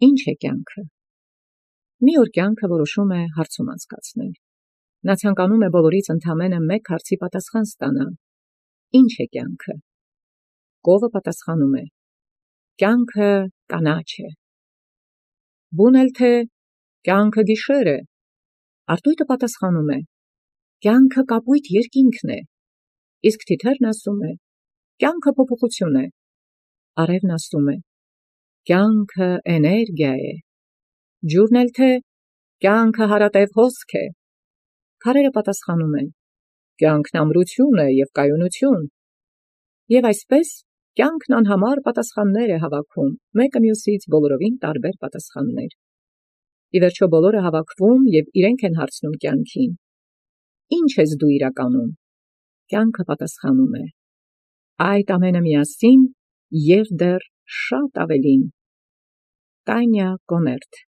Ինչ է կյանքը։ Մի օր կյանքը որոշում է հարցում անցկացնել։ Նա ցանկանում է բոլորից ընդամենը մեկ հարցի պատասխան ստանալ. Ինչ է կյանքը։ Կովը պատասխանում է. կյանքը կանաչ է։ Բուն էլ թե կյանքը գիշեր է։ Արտույտը պատասխանում է. կյանքը կապույտ երկինքն է։ Իսկ թիթեռն ասում է. կյանքը փոփոխություն է։ Արևն ասում է. կյանքը էներգիա է։ Ջուրն էլ թե կյանքը հարատև հոսք է։ Քարերը պատասխանում են. կյանքն ամրություն է և կայունություն։ Եվ այսպես կյանքն անհամար պատասխաններ է հավաքում, մեկը մյուսից բոլորովին տարբեր պատասխաններ։ Ի վերջո բոլորը հավաքվում և իրենք են հարցնում կյանքին. Ինչ ես դու իրականում։ Կյանքը պատասխանում է. այդ ամենը միասին և դեռ շատ ավելին։ Տանյա Կոներտ